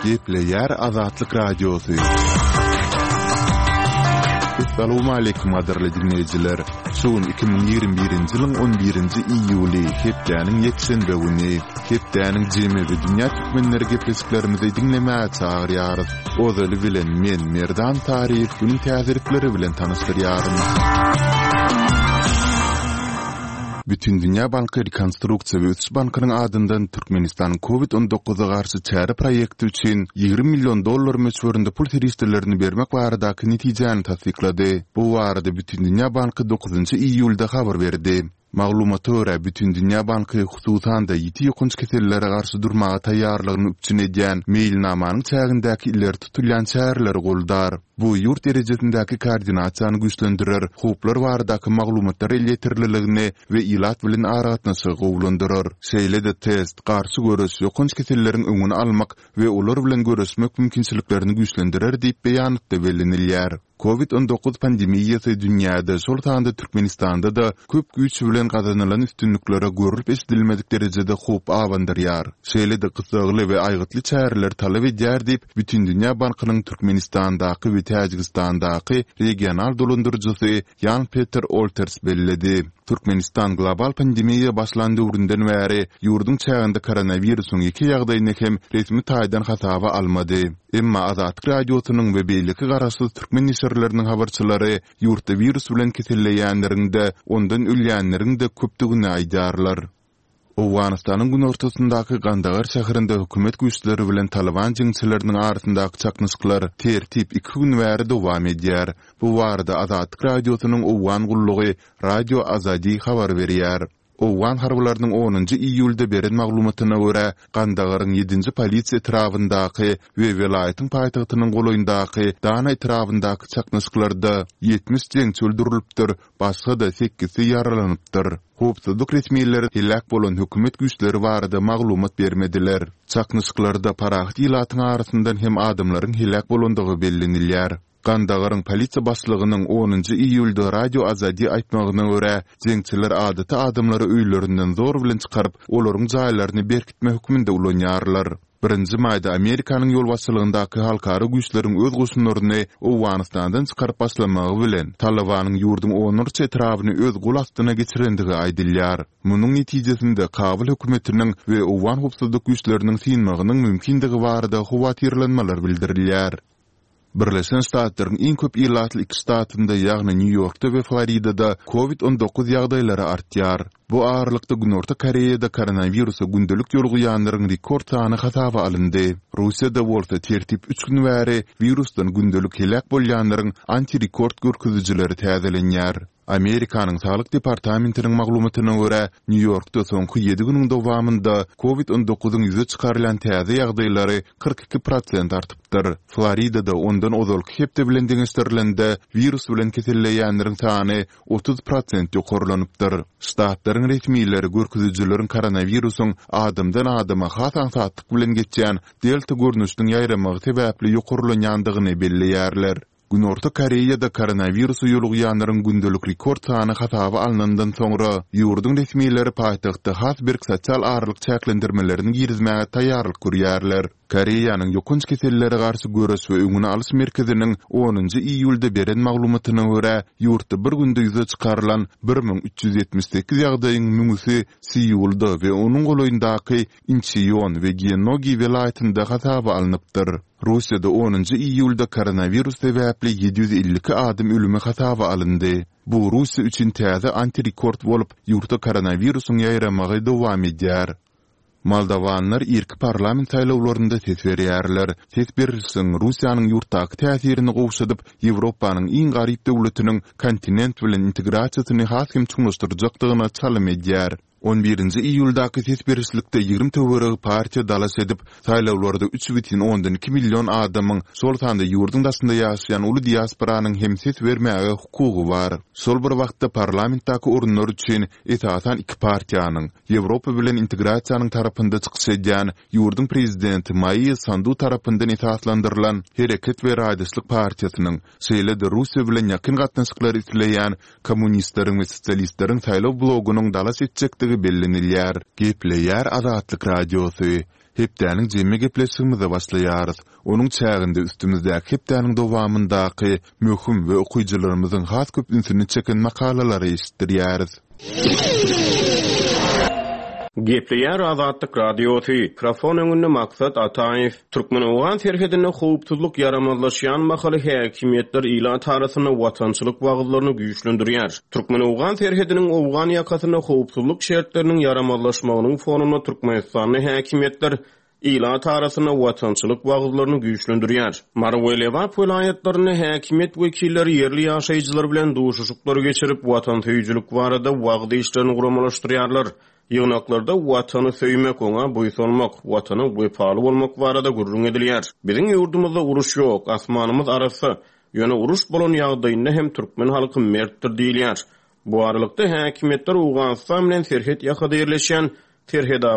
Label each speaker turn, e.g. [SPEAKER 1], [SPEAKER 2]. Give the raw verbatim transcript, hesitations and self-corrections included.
[SPEAKER 1] Gepleýär Azatlyk Radiosy. Essalawmaleýkim gadyrly diňleýjiler! Şu gün iki müň ýigrimi birinji ýylyň on birinji iýuly, hepdäniň ýekşenbe güni. Hepdäniň jemi we dünýä türkmenleri gepleşiklerimizi diňlemäge çagyrýarys. Ozaly bilen men, Merdan Taryýew günüň täzelikleri bilen tanyşdyrýaryn. Bütindünýä banky Rekonstruksiýa we ösüş bankynyň adyndan Türkmenistanyň Covid on dokuza garşy çäre proýekti üçin ýigrimi million dollar möçberinde pul serişdelerini bermek baradaky netijäni tassyklady. Bu barada Bütindünýä banky dokuzynjy iýulda habar berdi. Maglumata görä, Bütindünýä banky hususan-da ýiti ýokanç kesellere garşy durmaga taýýarlygyny üpjün edýän meýilnamanyň çägindäki ileri tutulýan çäreleri goldar. Bu ýurt derejesindäki koordinasiýany güýçlendirer, howplar baradaky maglumatlar elýeterliligini we ilat bilen aragatnaşygy gowulandyrar. Şeýle-de test, garşy göreş, ýokanç keselleriň öňüni almak we olar bilen göreşmek mümkinçiliklerini güýçlendirer diýip beýanatda bellenilýär. Covid on dokuz pandemiýasy dünýäde, şol sanda Türkmenistanda-da köp güýç bilen gazanylan üstünliklere görlüp-eşidilmedik derejede howp abandyrýar. Şeýle-de gyssagly we aýgytly çäreleri talap edýär diýip, Bütindünýä bankynyň Türkmenistandaky we Täjigistandaky regional dolandyryjysy Ýan-Peter Olters belledi. Türkmenistan global pandemiýa başlan döwründen bäri ýurduň çäginde koronawirusyň ýeke ýagdaýyny hem resmi taýdan hasaba almady. Emma Azatlyk Radiosynyň we beýleki garaşsyz türkmen neşirleriniň habarçylary ýurtda wirus bilen keselleýänleriň-de, ondan ölýänleriň-de köpdügini aýdýarlar. Owganystanyň günortasyndaky Gandagar şäherinde hökümet güýçleri bilen Talyban jeňçileriniň arasyndaky çaknyşyklar tertip iki gün bäri dowam edýär. Bu barada Azatlyk Radiosynyň Owgan gullugy Radio Azadi habar berýär. Owgan harbylarynyň onunjy iýulda beren maglumatyna görä, Gandagaryň ýedinji polisiýa etrabyndaky we welaýatyň paýtagtynyň golaýyndaky Dana etrabyndaky çaknyşyklarda ýetmiş jeňçi öldürilipdir, başga-da sekizsi ýaralanypdyr. Howpsuzlyk resmileri heläk bolan hökümet güýçleri barada maglumat bermediler. Çaknyşyklarda parahat ilatyň arasyndan hem adamlaryň heläk bolandygy bellenilýär. Gandagaryň polisiýa başlygynyň onunjy iýulda Radio Azadi aýtmagyna görä, jeňçiler adaty adamlary öýlerinden zor bilen çykaryp, olaryň jaýlaryny berkitme hökmünde ulanýarlar. Birinji maýda Amerikanyň ýolbaşçylygyndaky halkara güýçleriň öz goşunlaryny Owganystandan çykaryp başlamagy bilen, Talybanyň ýurduň onlarça etrabyny öz gol astyna geçirendigi aýdylýar. Munuň netijesinde Kabul hökümetiniň we owgan howpsuzlyk güýçleriniň synmagynyň mümkindigi barada howatyrlanmalar bildirilýär. Birleşen Ştatlaryň iň köp ilatly iki ştatynda, ýagny Nýu-Ýorkda we Floridada Covid on dokuz ýagdaýlary artýar. Bu aralykda Günorta Koreýada koronawirusa gündelik ýolugýanlaryň rekord sany hasaba alyndy. Russiýada bolsa tertip üç gün bäri wirusdan gündelik heläk bolýanlaryň antirekord görkezijileri täzelenýär. Amerikanyň Saglyk departamentiniň maglumatyna görä, Nýu-Ýorkda soňky ýedi günüň dowamynda Covid on dokuzyň ýüze çykarylan täze ýagdaýlary kyrk iki prosent artypdyr. Floridada ondan ozalky hepde bilen deňeşdirilende wirus bilen keselleýänleriň sany otuz prosent ýokarlanypdyr. Ştatlaryň resmileri görkezijileriň koronawirusyň adamdan adama has aňsatlyk bilen geçýän Delta görnüşiniň ýaýramagy sebäpli ýokarlanýandygyny belleýärler. Günorta Koreýada koronawirusa ýolugýanlaryň gündelik rekord sany hasaba alnandan soňra, ýurduň resmileri paýtagtda has berk sosial aralyk çäklendirmelerini girizmäge taýýarlyk görýärler. Koreýanyň ýokanç kesellere garşy göreş we öňüni alyş merkeziniň onunjy iýulda beren maglumatyna görä, ýurtda bir günde ýüze çykarylan bir müň üç ýüz ýetmiş sekiz ýagdaýyň müňüsi Seulda we onuň golaýyndaky Inçeon we Gyeonggi welaýatynda hasaba alnypdyr. Russiýada onunjy iýulda koronawirus sebäpli ýedi ýüz elli iki adam ölümi hasaba alyndy. Bu Russiýa üçin täze antirekord bolup, ýurtda koronawirusyň ýaýramagy dowam edýär. Moldowanlar irki parlament saýlawlarynda ses berýärler. Ses berlişigiň Russiýanyň ýurtdaky täsirini gowşadyp, Ýewropanyň iň garyp döwletiniň kontinent bilen integrasiýasyny has hem çuňlaşdyrjakdygyna çalym edýär. On birinji iýuldaky ses berişlikde ýigrimi töweregi partiýa dalaş edip, saýlawlarda üç bütin ondan iki million adamyň, şol sanda ýurduň daşynda ýaşaýan uly diasporanyň hem ses bermäge hukugy bar. Şol bir wagtda parlamentdäki orunlar üçin esasan iki partiýanyň, Ýewropa bilen integrasiýanyň tarapynda çykyş edýän ýurduň prezidenti Maýa Sandu tarapyndan esaslandyrylan Hereket we raýdaşlyk partiýasynyň, şeýle-de Russiýa bilen ýakyn gatnaşyklary isleýän Kommunistleriň we sosialistleriň saýlaw blogunyň dalaş etjekdigi bellenilýär. Gepleýär Azatlyk Radiosy, Hepdäniň jemi gepleşigimize başlaýarys. Onuň çäginde üstümizdäki hepdäniň dowamyndaky möhüm we okyjylarymyzyň has köp ünsüni çeken makalalary eşitdirýäris.
[SPEAKER 2] Gepleýär Azatlyk Radiosy. Mikrofon öňünde Maksat Ataýew. Türkmen-owgan serhedinde howpsuzlyk ýaramazlaşýan mahaly häkimiýetler ilat arasynda watançylyk wagyzlaryny güýçlendirýär. Türkmen-owgan serhediniň owgan ýakasynda howpsuzlyk şertleriniň ýaramazlaşmagynyň fonunda Türkmenistanda häkimiýetler ilat arasynda watançylyk wagyzlaryny güýçlendirýär. Mary we Lebap welaýatlarynda häkimiýet wekilleri ýerli ýaşaýjylar bilen duşuşyklar geçirip, watansöýüjilik barada wagyz işlerini guramalaşdyrýarlar. Ýygnaklarda Watany söýmek, oňa buýsanmak, Watana wepaly bolmak barada gürrüň edilýär. Biziň ýurdumyzda uruş ýok, asmanymyz arassa. Ýöne uruş bolan ýagdaýynda hem türkmen halky mertdir diýilýär. Bu aralykda, häkimiýetler Owganystan bilen serhet ýakada ýerleşýän Serhetabat